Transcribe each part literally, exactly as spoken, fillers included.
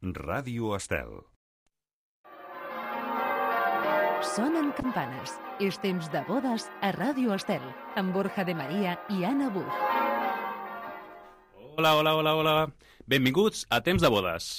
Ràdio Estel. Sonen campanes. És temps de bodes a Ràdio Estel, amb Borja de Maria i Anna Buch. Hola, hola, hola, hola. Benvinguts a Temps de Bodes.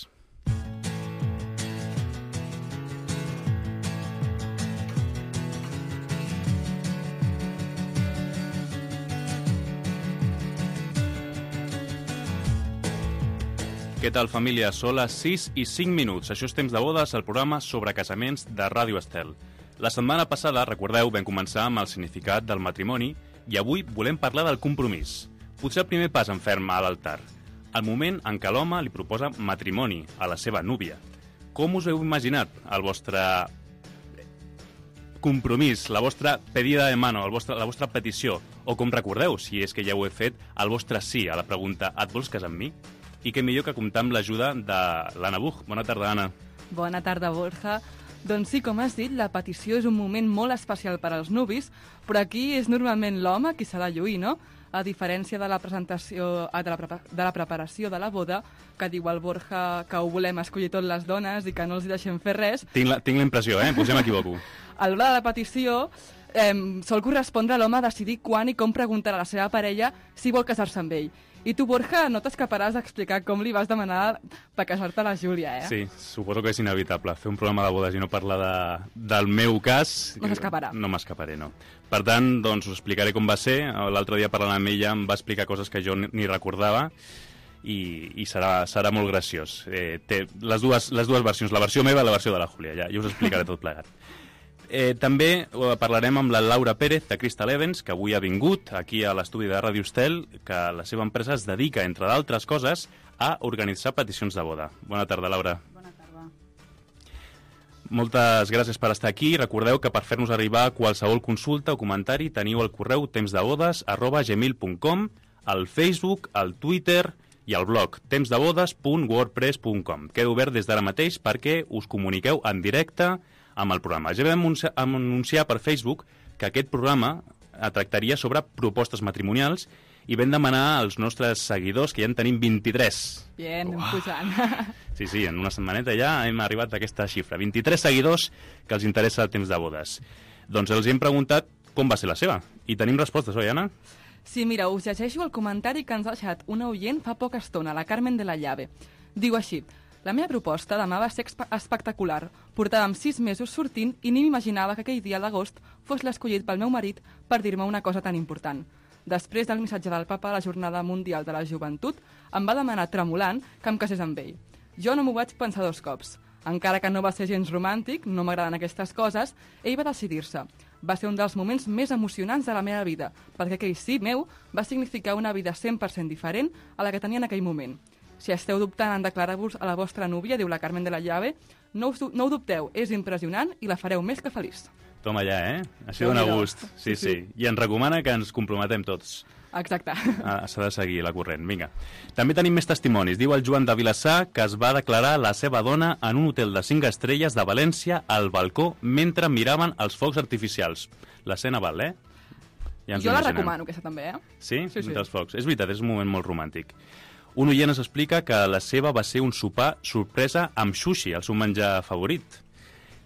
Què tal, família? Són les sis i cinc minuts. Això és Temps de Bodes, el programa sobre casaments de Ràdio Estel. La setmana passada, recordeu, vam començar amb el significat del matrimoni i avui volem parlar del compromís. Potser el primer pas en ferm a l'altar. El moment en què l'home li proposa matrimoni a la seva núvia. Com us heu imaginat el vostre compromís, la vostra pedida de mano, el vostre, la vostra petició? O com recordeu, si és que ja ho he fet, el vostre sí a la pregunta «Et vols casar amb mi?» I què millor que comptar amb l'ajuda de l'Anna Buch. Bona tarda, Anna. Bona tarda, Borja. Doncs sí, com has dit, la petició és un moment molt especial per als nuvis, però aquí és normalment l'home qui s'ha de lluir, no? A diferència de la presentació, de la, de la preparació de la boda, que diu el Borja que ho volem escollir tot les dones i que no els hi deixem fer res. Tinc la, tinc la impressió, eh? Potser m'equivoco. A l'hora de la petició eh, sol correspondre a l'home decidir quan i com preguntar a la seva parella si vol casar-se amb ell. I tu, Borja, no t'escaparàs d'explicar com li vas demanar per casar-te a la Júlia, eh? Sí, suposo que és inevitable. Fer un programa de bodes i no parlar de, del meu cas... No s'escaparà. No m'escaparé, no. Per tant, doncs, us explicaré com va ser. L'altre dia parlant amb ella em va explicar coses que jo ni recordava i, i serà, serà molt graciós. Eh, té les dues, les dues versions, la versió meva i la versió de la Júlia. Ja, ja us explicaré tot plegat. Eh, també parlarem amb la Laura Pérez de Crystal Events, que avui ha vingut aquí a l'estudi de Ràdio Estel, que la seva empresa es dedica, entre d'altres coses, a organitzar peticions de boda. Bona tarda, Laura. Bona tarda. Moltes gràcies per estar aquí. Recordeu que per fer-nos arribar qualsevol consulta o comentari teniu el correu temsdebodes arroba gmail punt com, el Facebook, el Twitter i el blog temsdebodes punt wordpress punt com. Queda obert des d'ara mateix perquè us comuniqueu en directe amb el programa. Ja vam anunciar per Facebook que aquest programa tractaria sobre propostes matrimonials i vam demanar als nostres seguidors, que ja en tenim vint-i-tres. Bien, anem pujant. Sí, sí, en una setmaneta ja hem arribat a aquesta xifra. vint-i-tres seguidors que els interessa el temps de bodes. Doncs els hem preguntat com va ser la seva. I tenim respostes, oi, Anna? Sí, mira, us llegeixo el comentari que ens ha deixat una oient fa poca estona, la Carmen de la Llave. Diu així: la meva proposta demà va ser espectacular. Portàvem sis mesos sortint i ni m'imaginava que aquell dia d'agost fos l'escollit pel meu marit per dir-me una cosa tan important. Després del missatge del papa a la Jornada Mundial de la Joventut, em va demanar tremolant que em casés amb ell. Jo no m'ho vaig pensar dos cops. Encara que no va ser gens romàntic, no m'agraden aquestes coses, ell va decidir-se. Va ser un dels moments més emocionants de la meva vida, perquè aquell sí meu va significar una vida cent per cent diferent a la que tenia en aquell moment. Si esteu dubtant en declarar-vos a la vostra núvia, diu la Carmen de la Llave, no, us, no ho dubteu, és impressionant i la fareu més que feliç. Toma ja, eh? Així dona gust. Sí, sí, sí. I ens recomana que ens comprometem tots. Exacte. Ah, s'ha de seguir la corrent, vinga. També tenim més testimonis. Diu el Joan de Vilassar que es va declarar la seva dona en un hotel de cinc estrelles de València al balcó mentre miraven els focs artificials. L'escena val, eh? Ja jo la recomano, aquesta també, eh? Sí? Sí, sí. Entre els focs. És veritat, és un moment molt romàntic. Un oient ens explica que la seva va ser un sopar sorpresa amb sushi, el seu menjar favorit.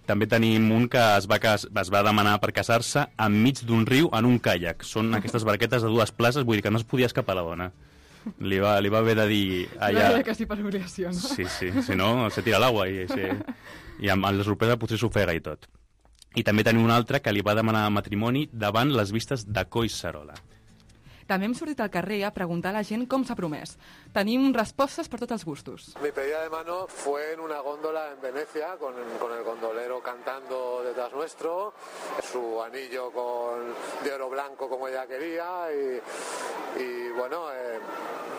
També tenim un que es va, cas... es va demanar per casar-se enmig d'un riu en un caiac. Són aquestes barquetes de dues places, vull dir que no es podia escapar la dona. Li va, li va haver de dir... Allà... No, que sí per obligació, no? Sí, sí, si no, se tira l'aigua i, sí. I amb la sorpresa potser s'ofega i tot. I també tenim un altre que li va demanar matrimoni davant les vistes de Collserola. També hem sortit al carrer a preguntar a la gent com s'ha promès. Tenim respostes per tots els gustos. Mi pedida de mano fue en una góndola en Venecia, con, con el gondolero cantando detrás nuestro, su anillo con, de oro blanco como ella quería, y, y bueno, eh,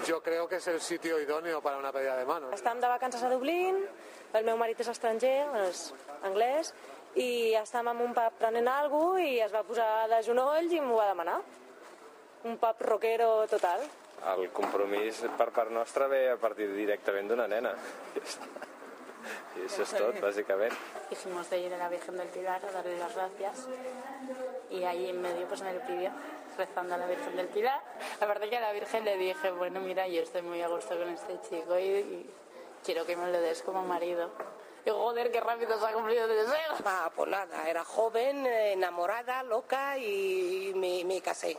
yo creo que es el sitio idóneo para una pedida de mano. Estàvem de vacances a Dublín, el meu marit és estranger, és anglès, i estàvem en un pub prenent alguna cosa i es va posar de genolls i m'ho va demanar. Un pub rockero total. El compromís per part nostra ve a partir directament d'una nena. Y eso es todo, básicamente. Dijimos de ir a la Virgen del Pilar a darle las gracias y ahí en medio pues me lo pidió, rezando a la Virgen del Pilar. Aparte que a la Virgen le dije, bueno mira, yo estoy muy a gusto con este chico y, y quiero que me lo des como marido. Y joder, qué rápido se ha cumplido el deseo. Ah, pues nada, era joven, enamorada, loca y me, me casé.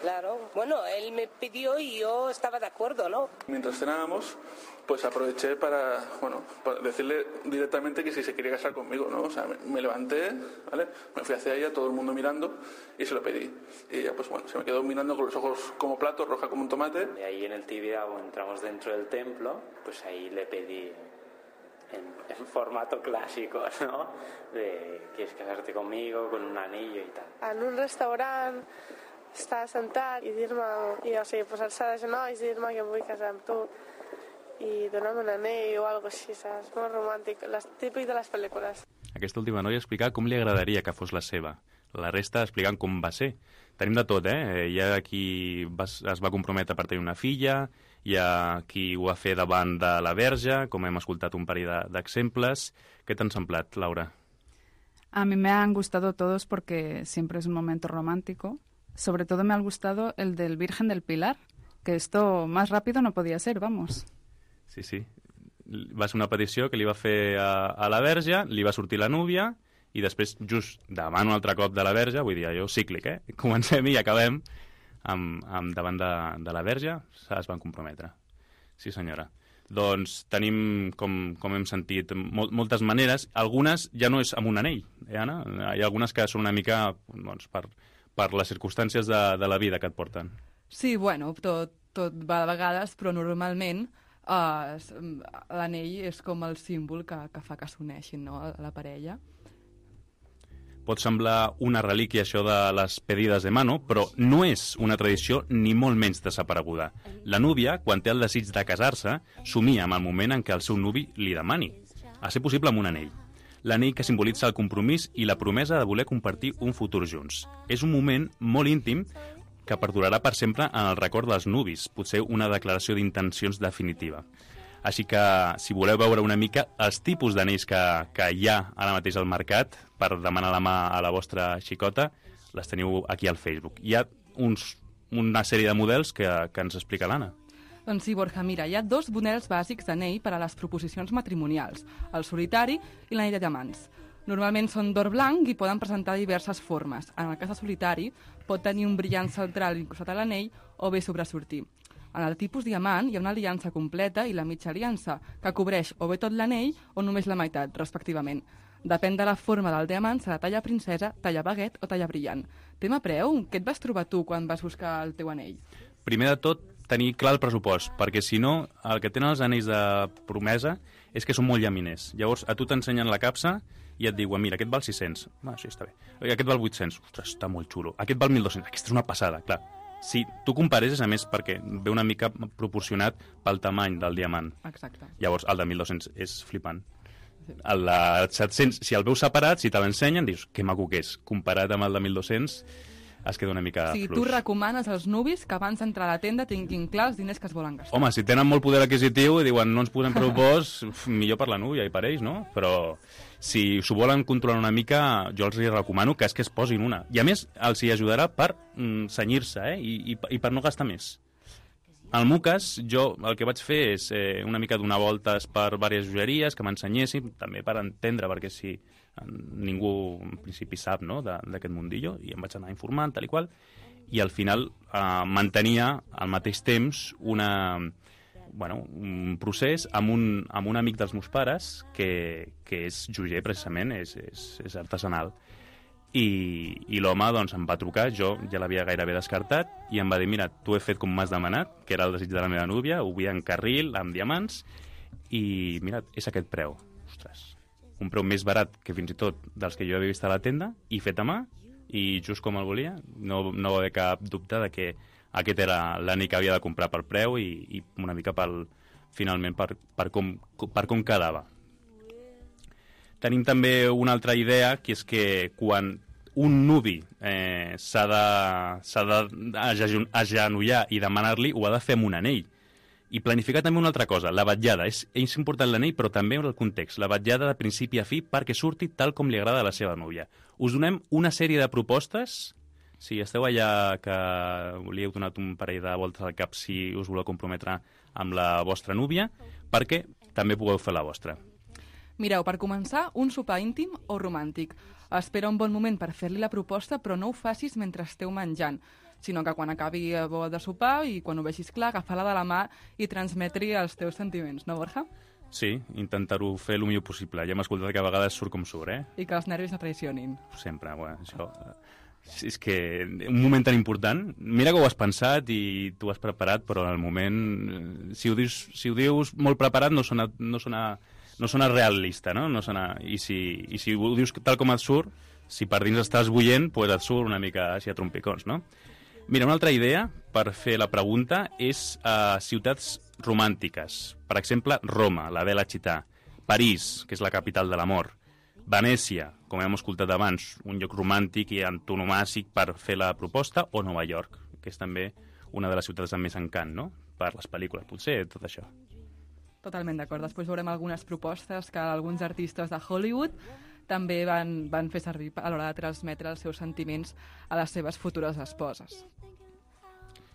Claro, bueno, él me pidió y yo estaba de acuerdo, ¿no? Mientras cenábamos, pues aproveché para, bueno, para decirle directamente que si se quería casar conmigo, ¿no? O sea, me, me levanté, ¿vale? Me fui hacia ella, todo el mundo mirando, y se lo pedí. Y ella, pues bueno, se me quedó mirando con los ojos como platos, roja como un tomate. Y ahí en el Tibidabo entramos dentro del templo, pues ahí le pedí en, en formato clásico, ¿no? De, ¿quieres casarte conmigo? Con un anillo y tal. En un restaurant, estar sentat i dir-me, i, o sigui, posar-se de genolls i dir-me que em vull casar amb tu i donar-me un anell o alguna cosa així, saps? Molt romàntic, les, típic de les pel·lícules. Aquesta última noia explicar com li agradaria que fos la seva. La resta explicant com va ser. Tenim de tot, eh? Hi ha qui va, es va comprometre per tenir una filla, hi ha qui ho va fer davant de la Verge, com hem escoltat un parell d'exemples. Què t'han semblat, Laura? A mí me han gustado todos porque siempre es un momento romántico. Sobre todo me ha gustado el del Virgen del Pilar, que esto más rápido no podía ser, vamos. Sí, sí. Va ser una petició que li va fer a, a la Verge, li va sortir la núvia, i després, just davant un altre cop de la Verge, vull dir, allò cíclic, eh? Comencem i acabem amb, amb davant de, de la Verge, es van comprometre. Sí, senyora. Doncs tenim, com, com hem sentit, mol, moltes maneres. Algunes ja no és amb un anell, eh, Anna? Hi ha algunes que són una mica, doncs, per... per les circumstàncies de, de la vida que et porten. Sí, bueno, tot, tot va de vegades, però normalment eh, l'anell és com el símbol que, que fa que s'uneixin, no?, la parella. Pot semblar una relíquia això de les pedides de mano, però no és una tradició ni molt menys desapareguda. La núvia, quan té el desig de casar-se, somia amb el moment en què el seu nuvi li demani, a ser possible amb un anell. L'anell que simbolitza el compromís i la promesa de voler compartir un futur junts. És un moment molt íntim que perdurarà per sempre en el record dels nuvis, potser una declaració d'intencions definitiva. Així que, si voleu veure una mica els tipus d'anells que, que hi ha ara mateix al mercat per demanar la mà a la vostra xicota, les teniu aquí al Facebook. Hi ha uns, una sèrie de models que, que ens explica l'Anna. Doncs sí, Borja, mira, hi ha dos models bàsics d'anell per a les proposicions matrimonials, el solitari i l'anell de diamants. Normalment són d'or blanc i poden presentar diverses formes. En el cas de solitari, pot tenir un brillant central incrustat a l'anell o bé sobresortir. En el tipus diamant hi ha una aliança completa i la mitja aliança, que cobreix o bé tot l'anell o només la meitat, respectivament. Depèn de la forma del diamant, serà talla princesa, talla baguet o talla brillant. Tema preu, què et vas trobar tu quan vas buscar el teu anell? Primer de tot, tenir clar el pressupost, perquè si no, el que tenen els anells de promesa és que són molt llaminers. Llavors, a tu t'ensenyen la capsa i et diuen, mira, aquest val sis-cents. Ah, sí, està bé. Aquest val vuit-cents. Ostres, està molt xulo. Aquest val mil dos-cents. Aquesta és una passada, clar. Si tu compares, és a més perquè ve una mica proporcionat pel tamany del diamant. Exacte. Llavors, el de mil dos-cents és flipant. El de set-cents, si el veus separat, si te l'ensenyen, dius, que maco que és. Comparat amb el de mil dos-cents, es queda una mica fluix. O sigui, fluix. tu recomanes als nuvis que abans d'entrar a la tenda tinguin clar els diners que es volen gastar. Home, si tenen molt poder adquisitiu i diuen no ens posem pressupost, millor per la núvia i per ells, no? Però si s'ho volen controlar una mica, jo els recomano que és que es posin una. I a més, els hi ajudarà per mm, senyir-se, eh? I, i, i per no gastar més. En el meu cas, jo el que vaig fer és eh, una mica donar voltes per diverses joieries que m'ensenyessin, també per entendre, perquè si ningú en principi sap, no?, d'aquest mundillo, i em vaig anar informant, tal i qual, i al final eh, mantenia al mateix temps una, bueno, un procés amb un, amb un amic dels meus pares que, que és joier precisament, és, és, és artesanal. I, i l'home doncs, em va trucar, jo ja l'havia gairebé descartat, i em va dir, mira, t'ho he fet com m'has demanat, que era el desig de la meva núvia, ho vull en carril, amb diamants, i mira, és aquest preu. Ostres, un preu més barat que fins i tot dels que jo havia vist a la tenda, i fet a mà, i just com el volia, no, no va haver cap dubte de que aquest era l'anell que havia de comprar pel preu i, i una mica pel, finalment per, per, com, per com quedava. Tenim també una altra idea, que és que quan un nuvi eh, s'ha d'agenollar i demanar-li, ho ha de fer amb un anell. I planificar també una altra cosa, la vetllada. És, és important l'anell, però també el context. La vetllada de principi a fi perquè surti tal com li agrada a la seva núvia. Us donem una sèrie de propostes. Si esteu allà que li heu donat un parell de voltes al cap si us voleu comprometre amb la vostra núvia, perquè també pugueu fer la vostra. Mireu, per començar, un sopar íntim o romàntic. Espera un bon moment per fer-li la proposta, però no ho facis mentre esteu menjant, sinó que quan acabi de sopar i quan ho vegis clar, agafar-la de la mà i transmetre-hi els teus sentiments, no, Borja? Sí, intentar-ho fer el millor possible. Ja hem escoltat que a vegades surt com surt, eh? I que els nervis no traicionin. Sempre, bueno, això... És que un moment tan important, mira que ho has pensat i tu has preparat, però en el moment, si ho dius, si ho dius molt preparat no sona, no sona, no sona realista, no? No sona, i, si, I si ho dius tal com et surt, si per dins estàs bullent, pues et surt una mica així a trompicons, no? Mira, una altra idea per fer la pregunta és uh, ciutats romàntiques. Per exemple, Roma, la Bella Città, París, que és la capital de l'amor, Venècia, com hem escoltat abans, un lloc romàntic i antonomàsic per fer la proposta, o Nova York, que és també una de les ciutats amb més encant, no?, per les pel·lícules, potser, tot això. Totalment d'acord. Després veurem algunes propostes que alguns artistes de Hollywood també van, van fer servir a l'hora de transmetre els seus sentiments a les seves futures esposes.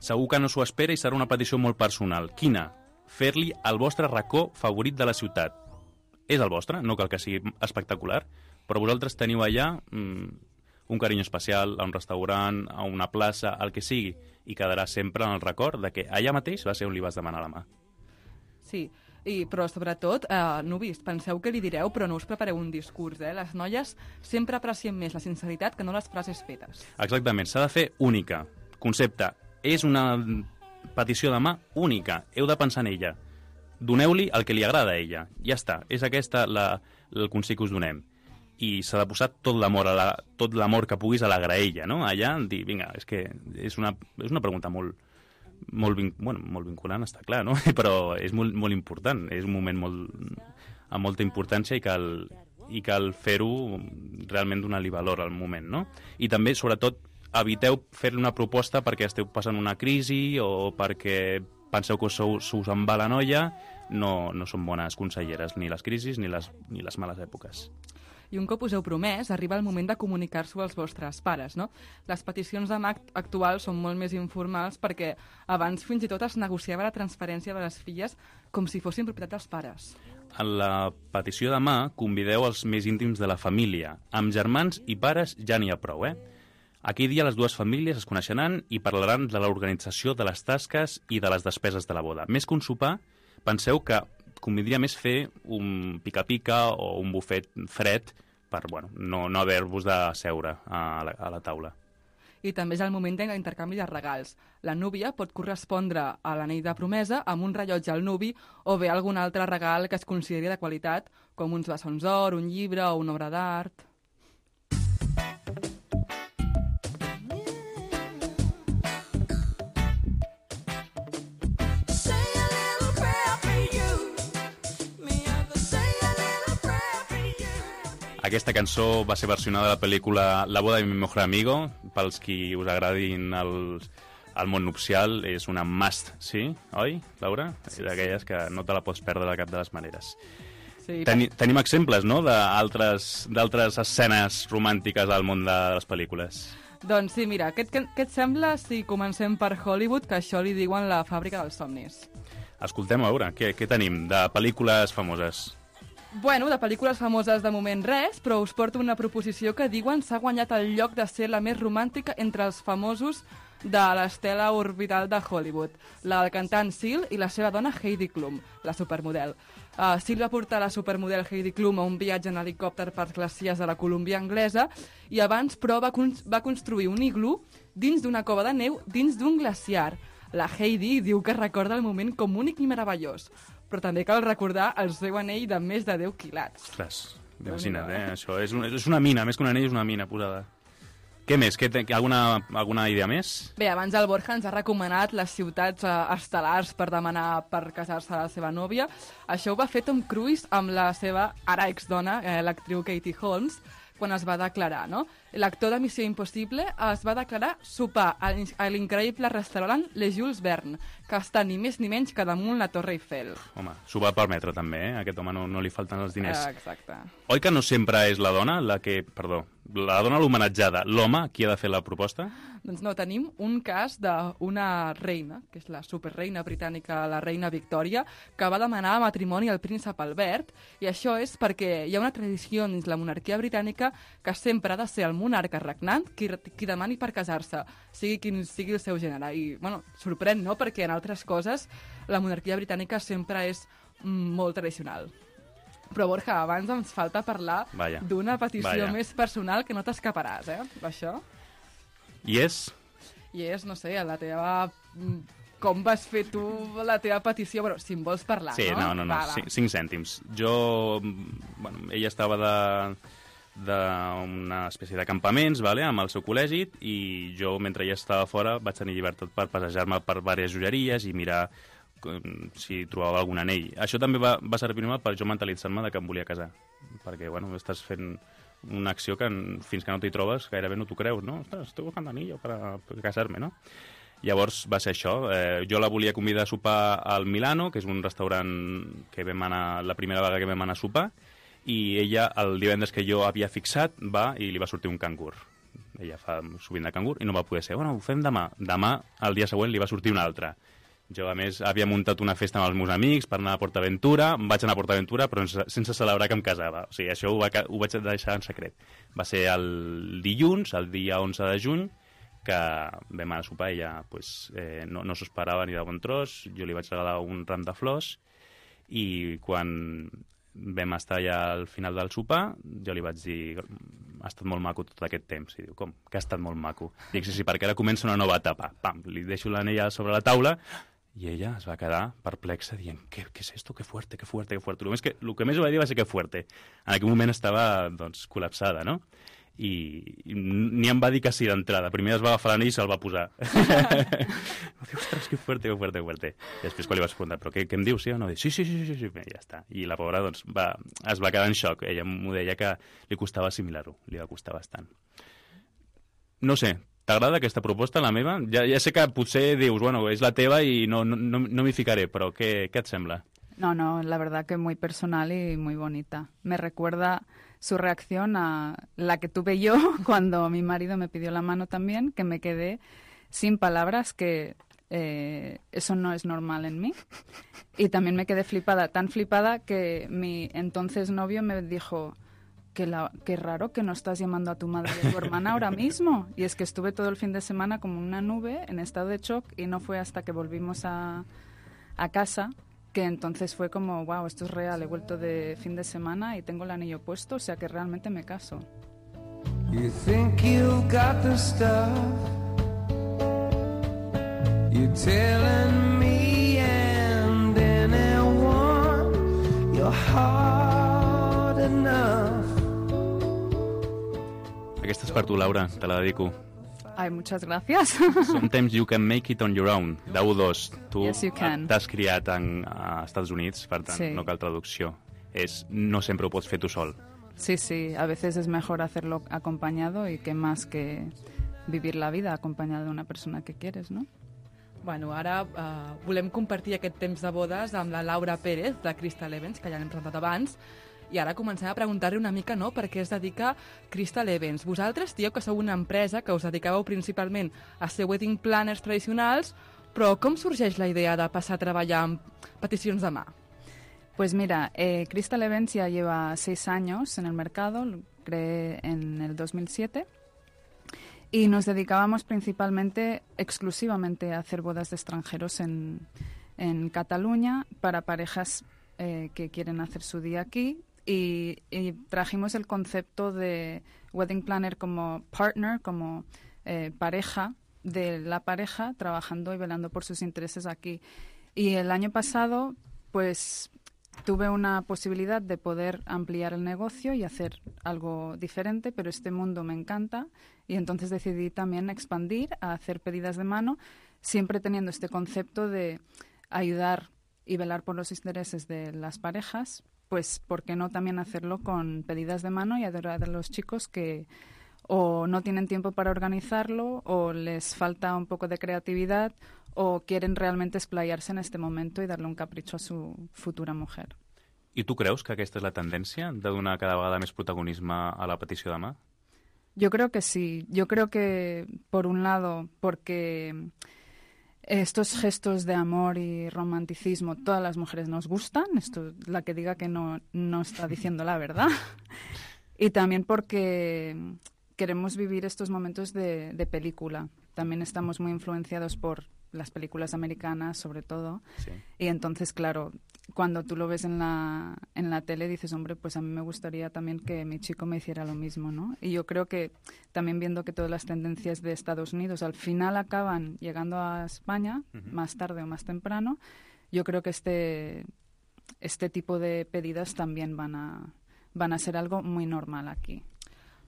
Segur que no s'ho espera i serà una petició molt personal. Quina? Fer-li el vostre racó favorit de la ciutat. És el vostre, no cal que sigui espectacular, però vosaltres teniu allà mmm, un carinyo especial a un restaurant, a una plaça, el que sigui, i quedarà sempre en el record de que allà mateix va ser on li vas demanar la mà. Sí, i, però sobretot, eh, nuvis, penseu que li direu, però no us prepareu un discurs, eh? Les noies sempre aprecien més la sinceritat que no les frases fetes. Exactament, s'ha de fer única. Concepte, és una petició de mà única, heu de pensar en ella. Doneu-li el que li agrada a ella. Ja està, és aquesta la, el consell que us donem. I s'ha de posar tot l'amor la, tot l'amor que puguis a la graella, no? Allà, dir, vinga, és que és una, és una pregunta molt, molt, vin, bueno, molt vinculant, està clar, no? Però és molt, molt important, és un moment molt, amb molta importància i cal, i cal fer-ho realment donar-li valor al moment, no? I també, sobretot, eviteu fer-li una proposta perquè esteu passant una crisi o perquè penseu que sou, us en va la noia, no, no són bones conselleres, ni les crisis ni les, ni les males èpoques. I un cop us heu promès, arriba el moment de comunicar-s'ho als vostres pares, no? Les peticions de mà actuals són molt més informals perquè abans fins i tot es negociava la transferència de les filles com si fossin propietat dels pares. En la petició de mà convideu els més íntims de la família. Amb germans i pares ja n'hi ha prou, eh? Aquell dia les dues famílies es coneixeran i parlaran de l'organització de les tasques i de les despeses de la boda. Més que un sopar, penseu que convindria més fer un pica-pica o un bufet fred per bueno, no, no haver-vos de seure a la, a la taula. I també és el moment de l'intercanvi de regals. La núvia pot correspondre a l'anell de promesa amb un rellotge al nuvi o bé algun altre regal que es consideri de qualitat, com uns bessons d'or, un llibre o una obra d'art. Aquesta cançó va ser versionada a la pel·lícula La boda de mi mejor amigo. Pels qui us agradin el, el món nupcial, és una must, sí? Oi, Laura? Sí, és d'aquelles que no te la pots perdre de cap de les maneres. Sí, Teni, tenim exemples, no?, d'altres escenes romàntiques al món de les pel·lícules. Doncs sí, mira, què, què, què et sembla si comencem per Hollywood, que això li diuen la fàbrica dels somnis? Escoltem, a veure, què, què tenim de pel·lícules famoses? Bueno, de pel·lícules famoses de moment res, però us porto una proposició que diuen s'ha guanyat el lloc de ser la més romàntica entre els famosos de l'estela orbital de Hollywood, la del cantant Seal i la seva dona Heidi Klum, la supermodel. Uh, Seal va portar la supermodel Heidi Klum a un viatge en helicòpter per les illes de la Colúmbia anglesa i abans, però, va, con va construir un iglú dins d'una cova de neu dins d'un glaciar. La Heidi diu que recorda el moment com únic i meravellós, però també cal recordar el seu anell de més de deu quilats. Ostres, imagina't, eh? Això és, un, és una mina, més que un anell és una mina posada. Què més? Què, alguna, alguna idea més? Bé, abans el Borja ens ha recomanat les ciutats eh, estel·lars per demanar per casar-se a la seva nòvia. Això ho va fer Tom Cruise amb la seva ara exdona, eh, l'actriu Katie Holmes, quan es va declarar, no? L'actor de Missió Impossible es va declarar sopar a l'increïble restaurant Le Jules Verne, que està ni més ni menys que damunt la Torre Eiffel. Home, s'ho va permetre també, eh? A aquest home no, no li falten els diners. Eh, exacte. Oi que no sempre és la dona la que... Perdó, La dona l'homenatjada. L'home, qui ha de fer la proposta? Doncs no, tenim un cas d'una reina, que és la superreina britànica, la reina Victòria, que va demanar matrimoni al príncep Albert, i això és perquè hi ha una tradició dins la monarquia britànica que sempre ha de ser el monarca regnant qui, qui demani per casar-se, sigui quin sigui el seu gènere. I, bueno, sorprèn, no?, perquè en altres coses la monarquia britànica sempre és mm, molt tradicional. Però, Borja, abans ens falta parlar d'una petició Vaya. més personal que no t'escaparàs, eh, d'això. I és? I és, no sé, la teva... Com vas fer tu la teva petició? Bueno, si em vols parlar, sí, no? Sí, no, no, no, va, cinc, cinc cèntims. Jo... Bueno, ella estava de d'una espècie de campaments, vale, amb el seu col·legi, i jo, mentre ella estava fora, vaig tenir llibertat per passejar-me per diverses joieries i mirar si trobava algun anell. Això també va, va servir-me per jo mentalitzar-me de que em volia casar. Perquè, bueno, estàs fent una acció que fins que no t'hi trobes gairebé no t'ho creus, no? Ostres, estic buscant anillo per, per casar-me, no? Llavors va ser això. Eh, jo la volia convidar a sopar al Milano, que és un restaurant que vam anar, la primera vegada que vam anar a sopar, i ella, el divendres que jo havia fixat, va i li va sortir un cangur. Ella fa sovint de cangur i no va poder ser. Bueno, ho fem demà. Demà, el dia següent, li va sortir un altre. Jo, a més, havia muntat una festa amb els meus amics per anar a PortAventura, em vaig anar a PortAventura, però sense celebrar que em casava. O sigui, això ho, va, ho vaig deixar en secret. Va ser el dilluns, el dia onze de juny, que vam anar a sopar i ella pues, eh, no, no s'ho esperava ni de bon tros. Jo li vaig regalar un ram de flors i quan vam estar ja al final del sopar, jo li vaig dir ha estat molt maco tot aquest temps. I diu, com? Que ha estat molt maco? Dic, sí, sí, perquè ara comença una nova etapa. Pam, li deixo l'anella sobre la taula i ella es va quedar perplexa dient, què, què és esto? Que fuerte, que fuerte, que fuerte. El, més que, el que més ho va dir va ser que fuerte. En aquell moment estava, doncs, col·lapsada, no? I, i ni em va dir que sí d'entrada. Primer es va agafar l'anell i se'l va posar. Va dir, ostres, que fuerte, que fuerte, que fuerte. I després quan li vaig preguntar, però què, què em dius, sí o no? Dic, sí, sí, sí, sí, sí, sí. Ja està. I la pobra, doncs, va, es va quedar en xoc. Ella m'ho deia que li costava assimilar-ho. Li va costar bastant. No sé, t'agrada aquesta proposta, la meva? Ja, ja sé que potser dius, bueno, és la teva i no, no, no, no m'hi ficaré, però què, què et sembla? No, no, la verdad que muy personal y muy bonita. Me recuerda su reacción a la que tuve yo cuando mi marido me pidió la mano también, que me quedé sin palabras, que eh, eso no es normal en mí. Y también me quedé flipada, tan flipada que mi entonces novio me dijo... Qué, la, qué raro que no estás llamando a tu madre y a tu hermana ahora mismo. Y es que estuve todo el fin de semana como una nube, en estado de shock, y no fue hasta que volvimos a, a casa que entonces fue como, wow, esto es real, he vuelto de fin de semana y tengo el anillo puesto, o sea que realmente me caso. You think you've got the stuff, you're telling me and anyone you're hard enough. Aquesta és per tu, Laura, te la dedico. Ai, muchas gracias. Sometimes you can make it on your own, de U dos. Tu yes, t'has criat en, a Estats Units, per tant, sí. No cal traducció. És, no sempre ho pots fer tu sol. Sí, sí, a veces es mejor hacerlo acompañado y qué más que vivir la vida acompañado de una persona que quieres, ¿no? Bueno, ara uh, volem compartir aquest temps de bodes amb la Laura Pérez, de Crystal Events, que ja l'hem presentat abans, i ara comencem a preguntar-li una mica, no?, per què es dedica Crystal Events. Vosaltres dieu que sou una empresa que us dedicàveu principalment a ser wedding planners tradicionals, però com sorgeix la idea de passar a treballar amb peticions de mà? Pues mira, eh, Crystal Events ya lleva seis años en el mercado, lo creé en el dos mil siete, y nos dedicábamos principalmente, exclusivamente a hacer bodas de extranjeros en, en Cataluña para parejas eh, que quieren hacer su día aquí. Y, y trajimos el concepto de wedding planner como partner, como eh, pareja de la pareja, trabajando y velando por sus intereses aquí. Y el año pasado, pues, tuve una posibilidad de poder ampliar el negocio y hacer algo diferente, pero este mundo me encanta y entonces decidí también expandir a hacer pedidas de mano, siempre teniendo este concepto de ayudar y velar por los intereses de las parejas. Pues, ¿por qué no también hacerlo con pedidas de mano y ayudar a los chicos que o no tienen tiempo para organizarlo o les falta un poco de creatividad o quieren realmente explayarse en este momento y darle un capricho a su futura mujer? I tu creus que aquesta és la tendència, de donar cada vegada més protagonisme a la petició de mà? Yo creo que sí. Yo creo que, por un lado, porque estos gestos de amor y romanticismo, todas las mujeres nos gustan. Esto, la que diga que no, no está diciendo la verdad. Y también porque queremos vivir estos momentos de, de película. También estamos muy influenciados por las películas americanas, sobre todo. Sí. Y entonces, claro, cuando tú lo ves en la, en la tele, dices, hombre, pues a mí me gustaría también que mi chico me hiciera lo mismo, ¿no? Y yo creo que también viendo que todas las tendencias de Estados Unidos al final acaban llegando a España, uh-huh. más tarde o más temprano, yo creo que este, este tipo de pedidas también van a, van a ser algo muy normal aquí.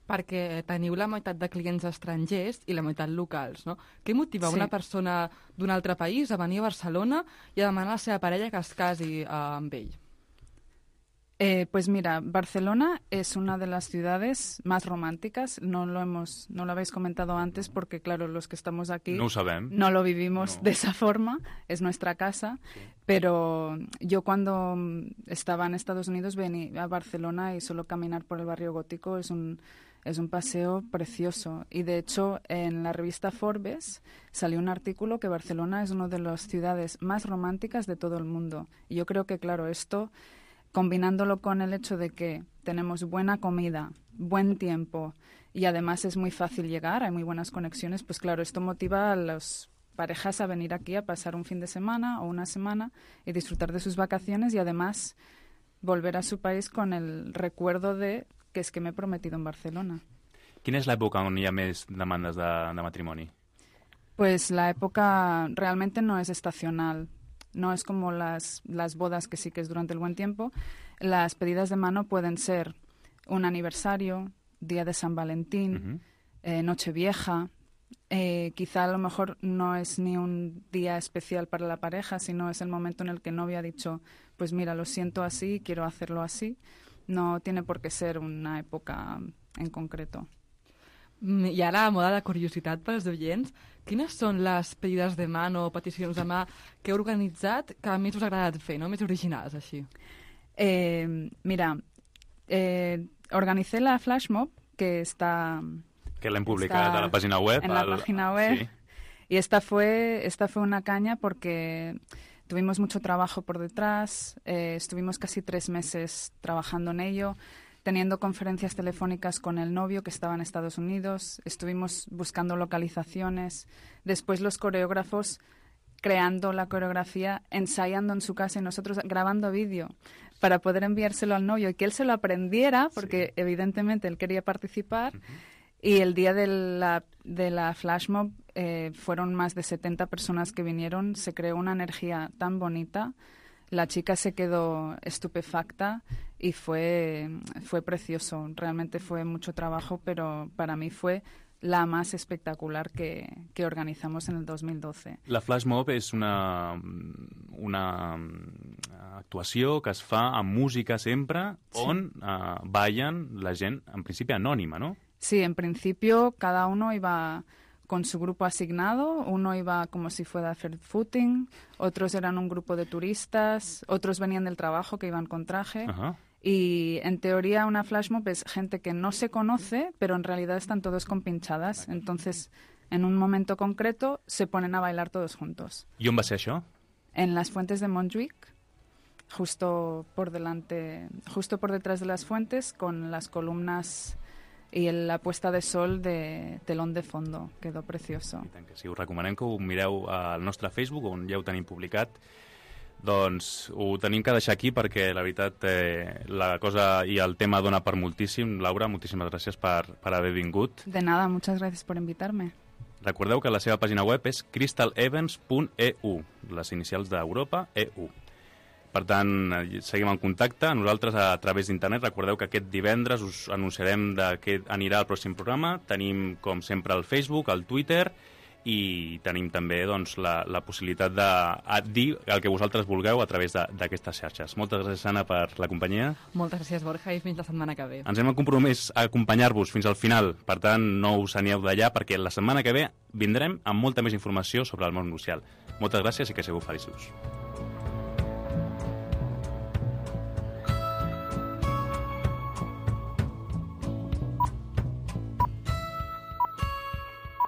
Perquè teniu la meitat de clients estrangers i la meitat locals, no? Què motiva sí. una persona d'un altre país a venir a Barcelona i a demanar a la seva parella que es casi eh, amb ell? Eh, pues mira, Barcelona es una de las ciudades más románticas. No lo hemos, no lo habéis comentado antes porque, claro, los que estamos aquí no, no lo vivimos no. de esa forma. Es nuestra casa. Sí. Pero yo cuando estaba en Estados Unidos venía a Barcelona y solo caminar por el barrio gótico es un es un paseo precioso. Y de hecho, en la revista Forbes salió un artículo que Barcelona es una de las ciudades más románticas de todo el mundo. Y yo creo que, claro, esto, combinándolo con el hecho de que tenemos buena comida, buen tiempo y además es muy fácil llegar, hay muy buenas conexiones, pues claro, esto motiva a las parejas a venir aquí a pasar un fin de semana o una semana y disfrutar de sus vacaciones y además volver a su país con el recuerdo de que és que m'he prometido en Barcelona. Quina és l'època on hi ha més demandes de, de matrimoni? Pues la época realmente no es estacional. No es como las, las bodas, que sí que es durante el buen tiempo. Las pedidas de mano pueden ser un aniversario, día de San Valentín, uh-huh. eh, Nochevieja. Eh, quizá a lo mejor no es ni un día especial para la pareja, sino es el momento en el que el novio ha dicho, pues mira, lo siento así, quiero hacerlo así. No tiene por qué ser una època en concreto. I ara, a moda de curiositat pels oients, quines són les pedides de mà o peticions de mà que heu organitzat que més us ha agradat fer, no? Més originals, així? Eh, mira, eh, organicé la flash mob, que está... Que l'hem publicat a la página web. En la al... página web. Sí. Y esta fue, esta fue una caña porque... Tuvimos mucho trabajo por detrás, eh, estuvimos casi tres meses trabajando en ello, teniendo conferencias telefónicas con el novio que estaba en Estados Unidos, estuvimos buscando localizaciones, después los coreógrafos creando la coreografía, ensayando en su casa y nosotros grabando vídeo para poder enviárselo al novio y que él se lo aprendiera, porque sí. evidentemente él quería participar. Uh-huh. Y el día de la, de la flash mob eh, fueron más de setenta personas que vinieron, se creó una energía tan bonita, la chica se quedó estupefacta y fue, fue precioso, realmente fue mucho trabajo, pero para mí fue la más espectacular que, que organizamos en el dos mil doce. La flash mob és una, una actuació que es fa amb música sempre, sí. on uh, ballen la gent, en principi anònima, no? Sí, en principio cada uno iba con su grupo asignado, uno iba como si fuera a hacer footing, otros eran un grupo de turistas, otros venían del trabajo que iban con traje. Ajá. Y en teoría una flash mob es gente que no se conoce, pero en realidad están todos compinchadas. Entonces, en un momento concreto, se ponen a bailar todos juntos. ¿Y on va ser això? En las fuentes de Montjuïc, justo por delante, justo por detrás de las fuentes, con las columnas i la puesta de sol de telón de fondo. Quedó precioso. I tant que sí, us recomanem que ho mireu al nostre Facebook, on ja ho tenim publicat. Doncs ho tenim que deixar aquí perquè la veritat eh, la cosa i el tema dona per moltíssim. Laura, moltíssimes gràcies per, per haver vingut. De nada, muchas gracias por invitarme. Recordeu que la seva pàgina web és crystal evans punt e u, les inicials d'Europa, E U. Per tant, seguim en contacte. Nosaltres, a través d'internet, recordeu que aquest divendres us anunciarem de què anirà el pròxim programa. Tenim, com sempre, el Facebook, el Twitter, i tenim també doncs, la, la possibilitat de dir el que vosaltres vulgueu a través d'aquestes xarxes. Moltes gràcies, Anna, per la companyia. Moltes gràcies, Borja, i fins la setmana que ve. Ens hem compromès a acompanyar-vos fins al final. Per tant, no us aneu d'allà, perquè la setmana que ve vindrem amb molta més informació sobre el món social. Moltes gràcies i que sigueu feliços.